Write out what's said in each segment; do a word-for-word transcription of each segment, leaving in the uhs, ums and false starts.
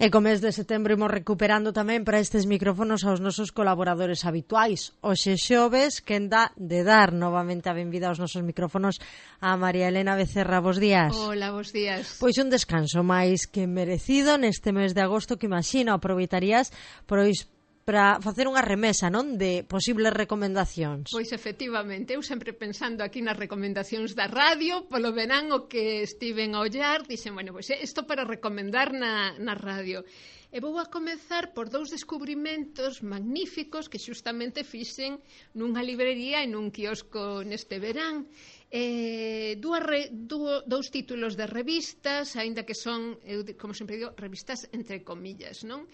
E co mes de setembro imos recuperando tamén para estes micrófonos aos nosos colaboradores habituais. Hoxe xoves, quen dá de dar novamente a benvida aos nosos micrófonos a María Elena Becerra. Bos días. Hola, bos días. Pois un descanso máis que merecido neste mes de agosto que imagino aproveitarías pois para facer unha remesa, non, de posibles recomendacións. Pois efectivamente, eu sempre pensando aquí nas recomendacións da radio, polo verán o que estiven a ollar, dixen, bueno, pois isto para recomendar na, na radio. E vou a comezar por dous descubrimentos magníficos que xustamente fixen nunha librería e nun quiosco neste verán. Eh, dúas re, dú, dous títulos de revistas, aínda que son, eu, como sempre digo, revistas entre comillas, non?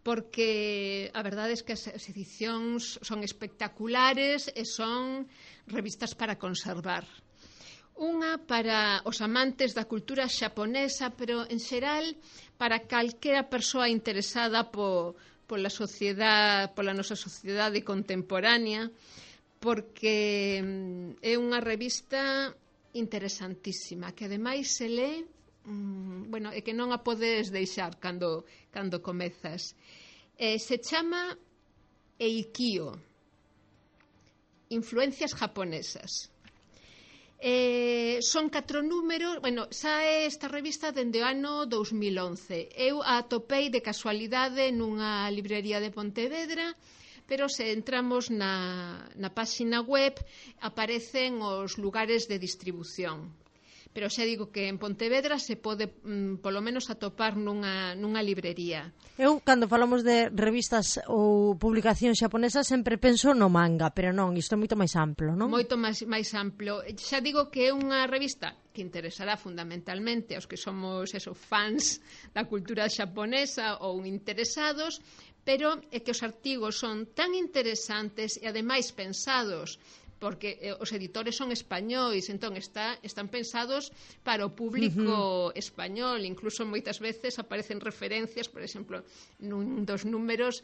Porque a verdade é que as edicións son espectaculares e son revistas para conservar. Unha para os amantes da cultura xaponesa, pero en xeral para calquera persoa interesada po, pola sociedade, pola nosa sociedade contemporánea, porque é unha revista interesantísima, que ademais se lee, mm, bueno, é que non a podes deixar cando, cando comezas. Eh, se chama Eikyo, Influencias japonesas. Eh, son catro números, bueno, sae esta revista dende o ano dous mil once. Eu a atopei de casualidade nunha librería de Pontevedra, pero se entramos na, na páxina web aparecen os lugares de distribución. Pero xa digo que en Pontevedra se pode mm, polo menos atopar nunha, nunha librería. Eu, cando falamos de revistas ou publicacións xaponesas, sempre penso no manga, pero non, isto é moito máis amplo, non? Moito máis, máis amplo. Xa digo que é unha revista que interesará fundamentalmente aos que somos esos fans da cultura xaponesa ou interesados, pero é que os artigos son tan interesantes e ademais pensados, porque eh, os editores son españois, entón está, están pensados para o público uh-huh. español, incluso moitas veces aparecen referencias, por exemplo, nun dos números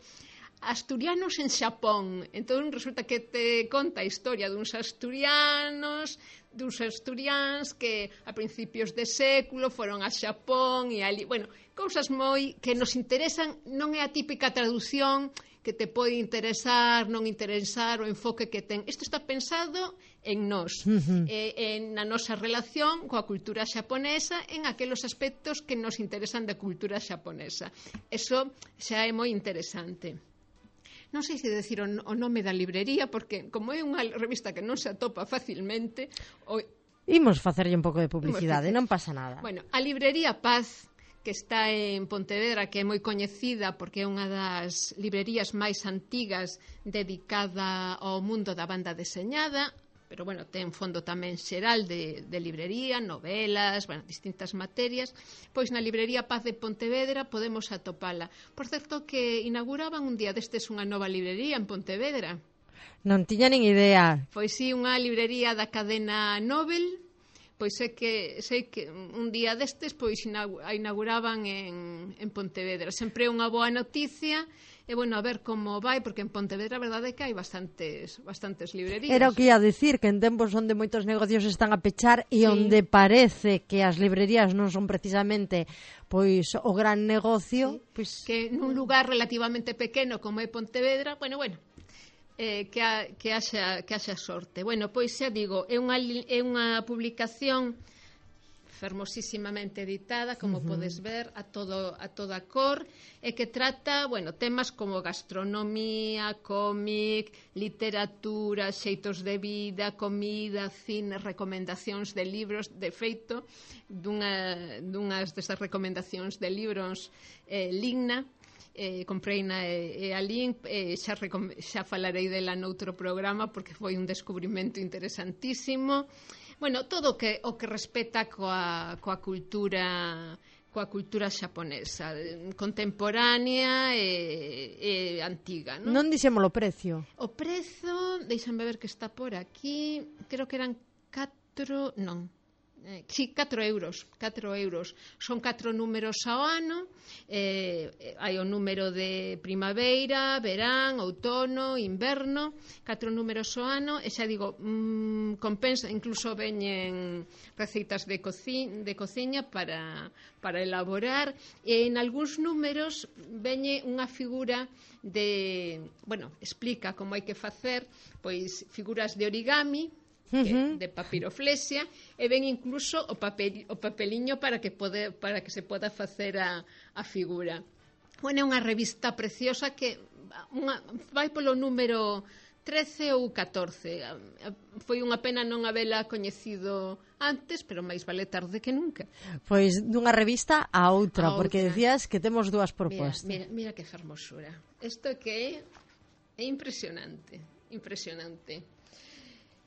asturianos en Xapón. Entón resulta que te conta a historia duns asturianos, duns asturiáns que a principios de século foron a Xapón e ali, bueno, cousas moi que nos interesan, non é a típica traducción que te pode interesar, non interesar, o enfoque que ten. Isto está pensado en nós, uh-huh. eh, en na nosa relación coa cultura xaponesa, en aqueles aspectos que nos interesan da cultura xaponesa. Eso xa é moi interesante. Non sei se decir o, o nome da librería, porque como é unha revista que non se atopa facilmente... O... Imos facerlle un pouco de publicidade, non pasa nada. Bueno, a librería Paz, que está en Pontevedra, que é moi coñecida porque é unha das librerías máis antigas dedicada ao mundo da banda deseñada, pero, bueno, ten fondo tamén xeral de, de librería, novelas, bueno, distintas materias. Pois na librería Paz de Pontevedra podemos atopala. Por certo, que inauguraban un día destes unha nova librería en Pontevedra. Non tiña nin idea. Pois sí, unha librería da cadena Nobel. Pois é que sei que un día destes pois a inauguraban en, en Pontevedra. Sempre é unha boa noticia. E, bueno, a ver como vai, porque en Pontevedra a verdade é que hai bastantes, bastantes librerías. Era o que ia dicir, que en tempos onde moitos negocios están a pechar e sí. onde parece que as librerías non son precisamente pois o gran negocio, sí. pois... que nun lugar relativamente pequeno como é Pontevedra, bueno, bueno, eh, que, a, que, haxa, que haxa sorte. Bueno, pois xa digo, é unha, é unha publicación fermosísimamente editada, como uh-huh. podes ver, a todo a toda cor, e que trata, bueno, temas como gastronomía, cómic, literatura, xeitos de vida, comida, cine, recomendacións de libros. De feito, dunha, dunhas desas recomendacións de libros, eh, Ligna, eh, compreina e, e a link, eh, xa, recom- xa falarei dela noutro programa porque foi un descubrimento interesantísimo. Bueno, todo o que, o que respeta coa, coa cultura coa cultura xaponesa, contemporánea e, e antiga, non? Non dixemos o precio. O prezo, deixame ver que está por aquí, creo que eran catro, non, Eh, sí, catro euros, catro euros. Son catro números ao ano, eh, hai o número de primavera, verán, outono, inverno, catro números ao ano, e xa digo, mmm, compensa, incluso veñen receitas de, coci de cociña para, para elaborar, e en algúns números veñe unha figura de, bueno, explica como hai que facer, pois, figuras de origami, Que, de papiroflexia, e ven incluso o, papel, o papeliño para que, pode, para que se poda facer a, a figura. Bueno, é unha revista preciosa que unha, vai polo número trece ou catorce. Foi unha pena non habela coñecido antes, pero máis vale tarde que nunca. Pois dunha revista a outra, a porque outra. decías que temos dúas propostas. Mira, mira, mira que fermosura. Isto que é, é impresionante, impresionante.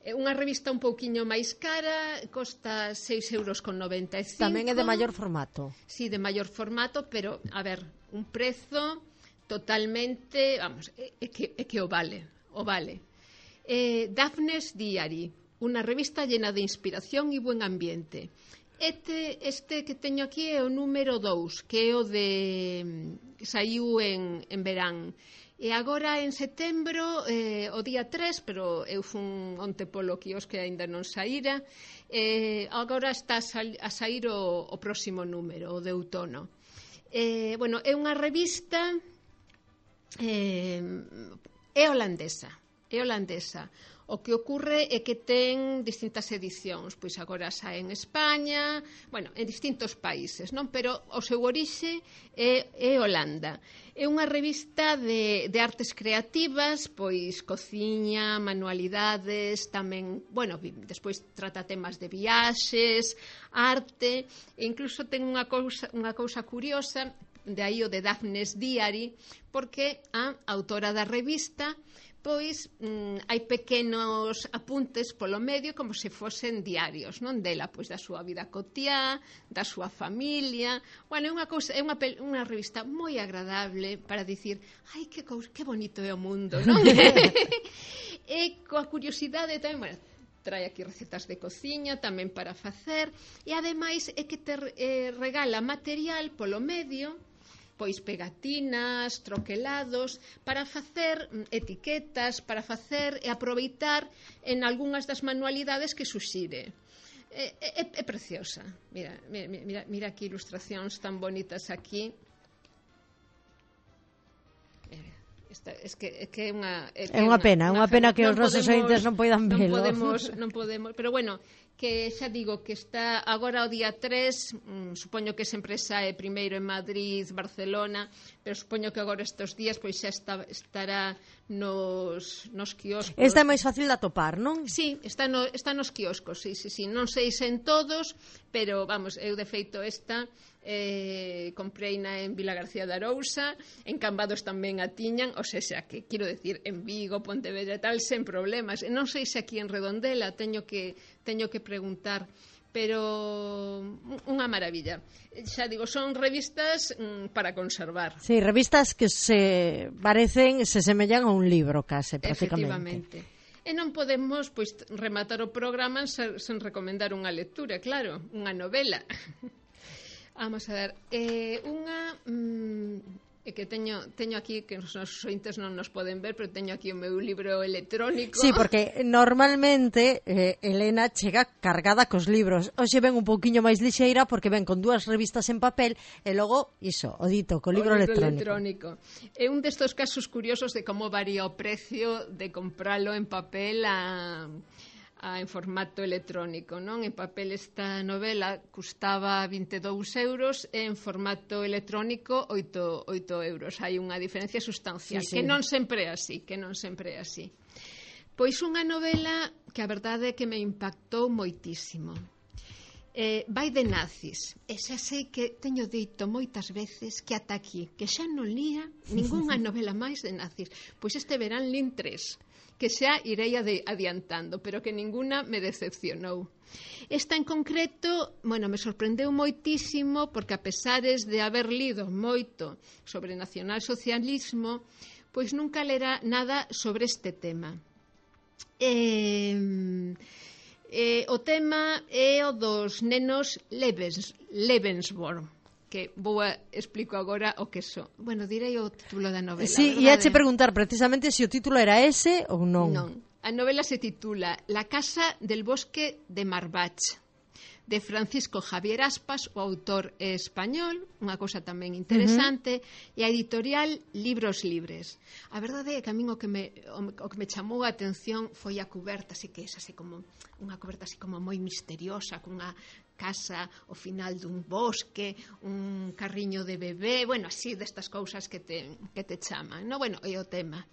É unha revista un pouquiño máis cara, costa seis euros con noventa e cinco. Tamén é de maior formato. Sí, de maior formato, pero, a ver, un prezo totalmente, vamos, é, é, que, é que o vale, o vale. Eh, Daphne's Diary, unha revista llena de inspiración e buen ambiente. Este, este que teño aquí é o número dous, que é o de... saiu en, en verán. E agora en setembro, eh, o día tres, pero eu fun onte polo quiosque que aínda non saíra, eh, agora está a, sal, a sair o, o próximo número, o de outono. Eh, bueno, é unha revista eh, é holandesa, é holandesa. O que ocorre é que ten distintas edicións, pois agora sae en España, bueno, en distintos países, non? Pero o seu orixe é, é Holanda. É unha revista de, de artes creativas, pois cociña, manualidades, tamén, bueno, despois trata temas de viaxes, arte, e incluso ten unha cousa, unha cousa curiosa, de aí o de Daphne's Diary, porque a autora da revista pois mm, hai pequenos apuntes polo medio como se fosen diarios, non dela, pois da súa vida cotiá, da súa familia. Bueno, é unha cousa, é unha, unha revista moi agradable para dicir, ai, que, cousa, que bonito é o mundo, non? E coa curiosidade tamén, bueno, trae aquí recetas de cociña tamén para facer, e ademais é que te eh, regala material polo medio, pois pegatinas, troquelados, para facer etiquetas, para facer e aproveitar en algunhas das manualidades que suxire. É, é, é preciosa. Mira, mira, mira aquí ilustracións tan bonitas aquí. Esta, es que é que é unha é, é unha pena, é unha pena que os nosos ointes non poidan velo. Non podemos, non podemos, pero bueno, que xa digo que está agora o día tres, mmm, supoño que sempre sae primeiro en Madrid, Barcelona, pero supoño que agora estes días pois xa está, estará nos, nos quioscos. Esta é máis fácil de atopar, non? Sí, está, no, está nos quioscos, sí, sí, sí. Non sei se en todos, pero vamos, eu de feito esta eh, compreina en Vila García de Arousa, en Cambados tamén a tiñan, o sea, que quero decir, en Vigo, Pontevedra e tal, sen problemas. E non sei se aquí en Redondela teño que teño que preguntar, pero unha maravilla. Xa digo, son revistas mm, para conservar. Sí, revistas que se parecen, se semellan a un libro case, prácticamente. Efectivamente. E non podemos pois rematar o programa sen, sen recomendar unha lectura, claro, unha novela. Vamos a ver, eh, unha... Mm, é que teño, teño aquí, que os nosos ointes non nos poden ver, pero teño aquí o meu libro electrónico. Sí, porque normalmente eh, Elena chega cargada cos libros. Hoxe ven un pouquiño máis lixeira porque ven con dúas revistas en papel e logo, iso, o dito, co libro, libro electrónico. electrónico. É un destos casos curiosos de como varía o precio de compralo en papel a... a en formato electrónico, non? En papel esta novela custaba vinte e dous euros e en formato electrónico oito euros. Hai unha diferencia sustancial, sí, sí. Que non sempre é así, que non sempre é así. Pois unha novela que a verdade é que me impactou moitísimo. Eh, vai de nazis. E xa sei que teño dito moitas veces que ata aquí, que xa non lía ningunha novela máis de nazis. Pois este verán lín tres, que xa irei adiantando, pero que ninguna me decepcionou. Esta en concreto, bueno, me sorprendeu moitísimo porque a pesares de haber lido moito sobre nacionalsocialismo, pois nunca lera nada sobre este tema. Eh, Eh, o tema é o dos nenos Lebens, Lebensborn, que vou a explico agora o que son. Bueno, direi o título da novela. Sí, e ache preguntar precisamente se o título era ese ou non. Non. A novela se titula La casa del bosque de Marbach, de Francisco Javier Aspas, o autor é español, unha cousa tamén interesante, uh-huh. e a editorial Libros Libres. A verdade é que a min o que me, o que me chamou a atención foi a cuberta, así que é así como unha cuberta así como moi misteriosa, cunha casa ao final dun bosque, un carriño de bebé, bueno, así destas cousas que te, que te chaman, no? Bueno, é o tema.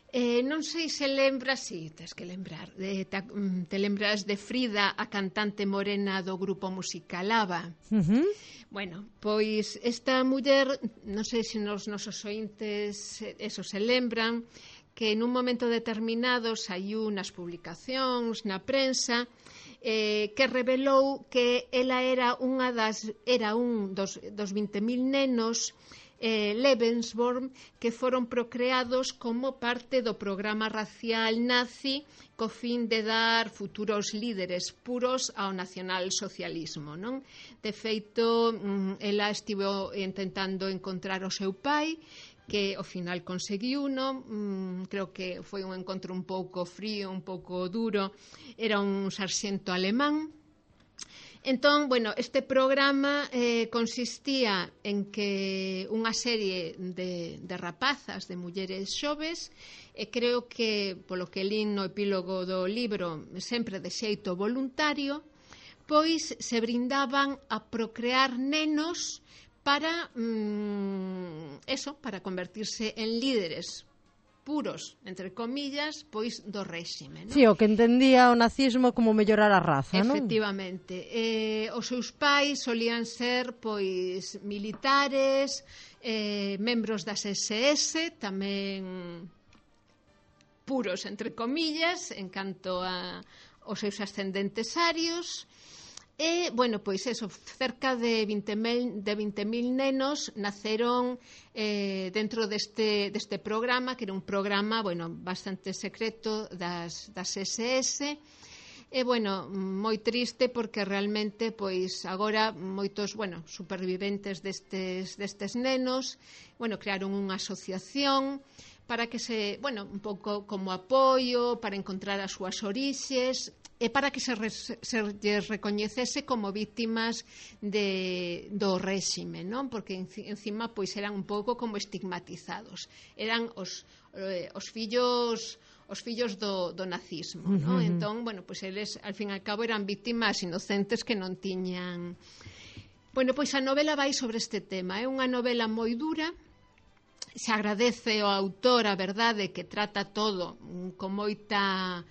Eh, non sei se lembras, si, sí, tens que lembrar, de, te, te lembras de Frida, a cantante morena do grupo musical ABBA. Uh-huh. Bueno, pois esta muller, non sei se nos nosos ointes eso se lembran, que nun momento determinado saiu nas publicacións, na prensa, eh, que revelou que ela era unha das era un dos, dos vinte mil nenos Eh, Lebensborn que foron procreados como parte do programa racial nazi co fin de dar futuros líderes puros ao nacionalsocialismo, non? De feito, ela estivo intentando encontrar o seu pai, que ao final conseguiu, non? Mm, creo que foi un encontro un pouco frío, un pouco duro. Era un sarxento alemán. Entón, bueno, este programa eh, consistía en que unha serie de, de rapazas, de mulleres xoves, e creo que, polo que lín no epílogo do libro, sempre de xeito voluntario, pois se brindaban a procrear nenos para, mm, eso, para convertirse en líderes puros, entre comillas, pois do réxime, non? Si, sí, o que entendía o nazismo como mellorar a raza, non? Efectivamente. Eh, os seus pais solían ser, pois, militares, eh, membros das S S, tamén puros, entre comillas, en canto a os seus ascendentes arios. E, bueno, pois eso, cerca de vinte mil nenos naceron eh, dentro deste, deste programa, que era un programa, bueno, bastante secreto das, das S S. E, bueno, moi triste porque realmente, pois, agora moitos, bueno, superviventes destes, destes nenos, bueno, crearon unha asociación para que se, bueno, un pouco como apoio, para encontrar as súas orixes, e para que se, re, se lles recoñecese como víctimas de, do réxime, non? Porque encima pois eran un pouco como estigmatizados. Eran os, eh, os fillos os fillos do, do nazismo, non? Uh-huh. Entón, bueno, pois eles ao fin e ao cabo eran víctimas inocentes que non tiñan. Bueno, pois a novela vai sobre este tema. É unha novela moi dura. Se agradece ao autor a verdade que trata todo con moita,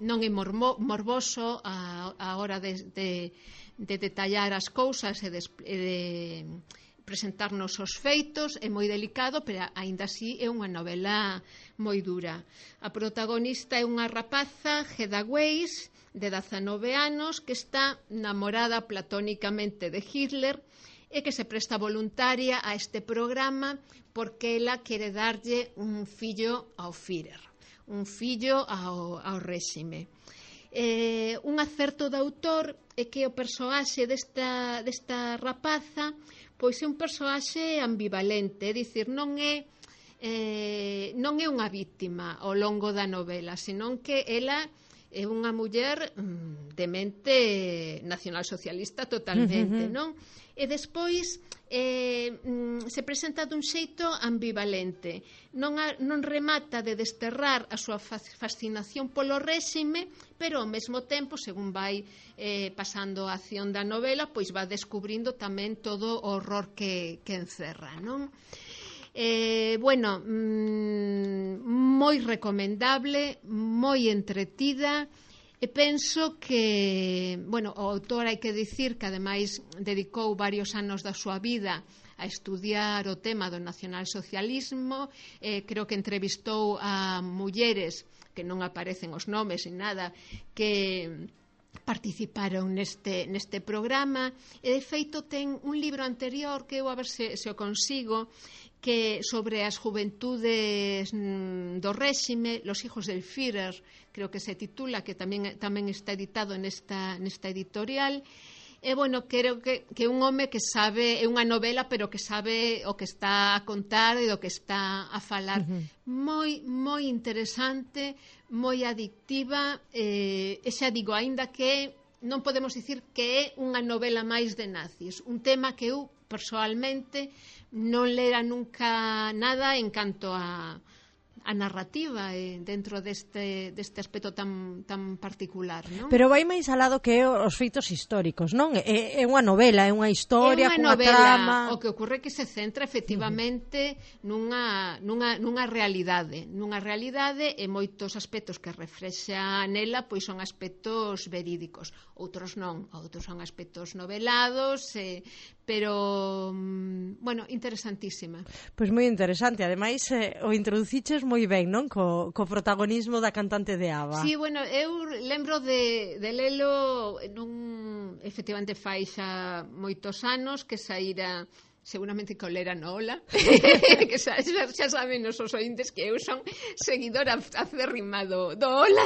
non é mormo, morboso a, a hora de, de, de detallar as cousas e de, de presentarnos os feitos, é moi delicado, pero aínda así é unha novela moi dura. A protagonista é unha rapaza, Hedda Weiss, de dezanove anos, que está namorada platónicamente de Hitler e que se presta voluntaria a este programa porque ela quere darlle un fillo ao Führer, un fillo ao, ao réxime. Eh, un acerto do autor é que o persoaxe desta, desta rapaza pois é un persoaxe ambivalente, é dicir, non é eh, non é unha víctima ao longo da novela, senón que ela é unha muller mm, de mente nacionalsocialista totalmente, uh-huh. non? E despois eh, mm, se presenta dun xeito ambivalente. Non, a, non remata de desterrar a súa fascinación polo réxime, pero ao mesmo tempo, según vai eh, pasando a acción da novela, pois va descubrindo tamén todo o horror que, que encerra, non? Eh, bueno, mmm, moi recomendable, moi entretida. E penso que, bueno, o autor hai que dicir que ademais dedicou varios anos da súa vida a estudiar o tema do nacionalsocialismo, eh, creo que entrevistou a mulleres que non aparecen os nomes ni nada, que participaron neste, neste programa, e de feito ten un libro anterior que eu a ver se, se o consigo, que sobre as juventudes mm, do réxime, Los hijos del Führer, creo que se titula, que tamén, tamén está editado nesta, nesta editorial. E, bueno, creo que, que un home que sabe, é unha novela, pero que sabe o que está a contar e do que está a falar. Uh-huh. Moi, moi interesante, moi adictiva, eh, e xa digo, aínda que non podemos dicir que é unha novela máis de nazis, un tema que eu, persoalmente, non lera nunca nada en canto a a narrativa eh, dentro deste, deste aspecto tan, tan particular, non? Pero vai máis alado que os feitos históricos, non? É, é unha novela, é unha historia, é cunha unha novela, trama. O que ocorre é que se centra efectivamente uh-huh. nunha, nunha, nunha realidade, nunha realidade e moitos aspectos que reflexa nela pois son aspectos verídicos, outros non, outros son aspectos novelados, eh, pero, bueno, interesantísima. Pois moi interesante, ademais eh, o introduciches moi ben, non? Co, co protagonismo da cantante de ABBA. Sí, bueno, eu lembro de, de lelo nun, efectivamente fai xa moitos anos que saíra, seguramente que o lera no Ola, que xa, xa, xa saben os ointes que eu son seguidora acérrima do, do Ola.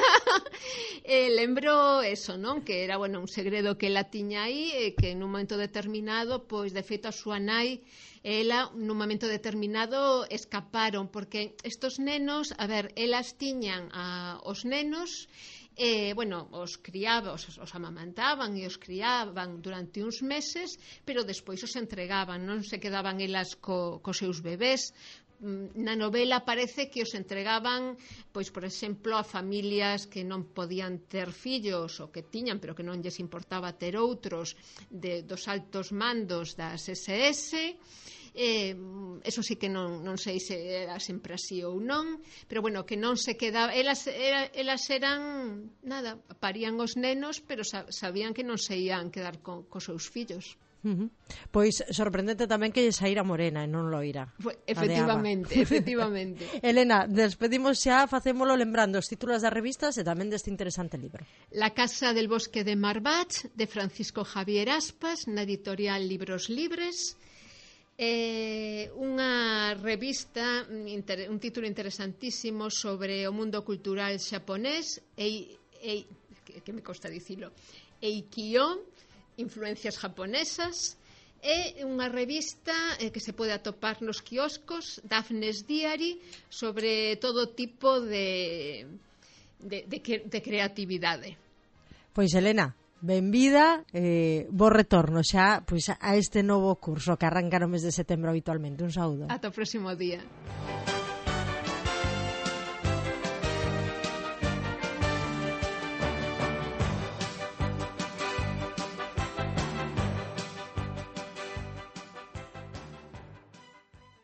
E lembro eso, non? Que era, bueno, un segredo que ela tiña aí, e que nun momento determinado, pois, de feito, a súa nai, ela, nun momento determinado, escaparon, porque estos nenos, a ver, elas tiñan a, os nenos, eh, bueno, os criaban, os, os amamantaban e os criaban durante uns meses, pero despois os entregaban, non se quedaban elas co, co seus bebés. Na novela parece que os entregaban, pois, por exemplo, a familias que non podían ter fillos ou que tiñan, pero que non lles importaba ter outros, de, dos altos mandos das ese ese. Eh, eso sí que non, non sei se era sempre así ou non, pero bueno, que non se quedaba, elas, era, elas eran nada, parían os nenos, pero sabían que non se ian quedar co, cos seus fillos. Uh-huh. Pois sorprendente tamén que lle saíra morena e non loira. Efectivamente, efectivamente. Elena, despedimos xa, facémolo lembrando os títulos das revistas e tamén deste interesante libro. La casa del bosque de Marbach, de Francisco Javier Aspas, na editorial Libros Libres. Eh, unha revista, un título interesantísimo sobre o mundo cultural xaponés, e, e, que, que me costa dicilo, Eikyo, influencias japonesas. É unha revista eh, que se pode atopar nos quioscos, Daphne's Diary, sobre todo tipo de, de, de, de creatividade. Pois, Elena, benvida, eh, bo retorno xa pois, a este novo curso que arranca no mes de setembro habitualmente. Un saúdo. Ata o próximo día.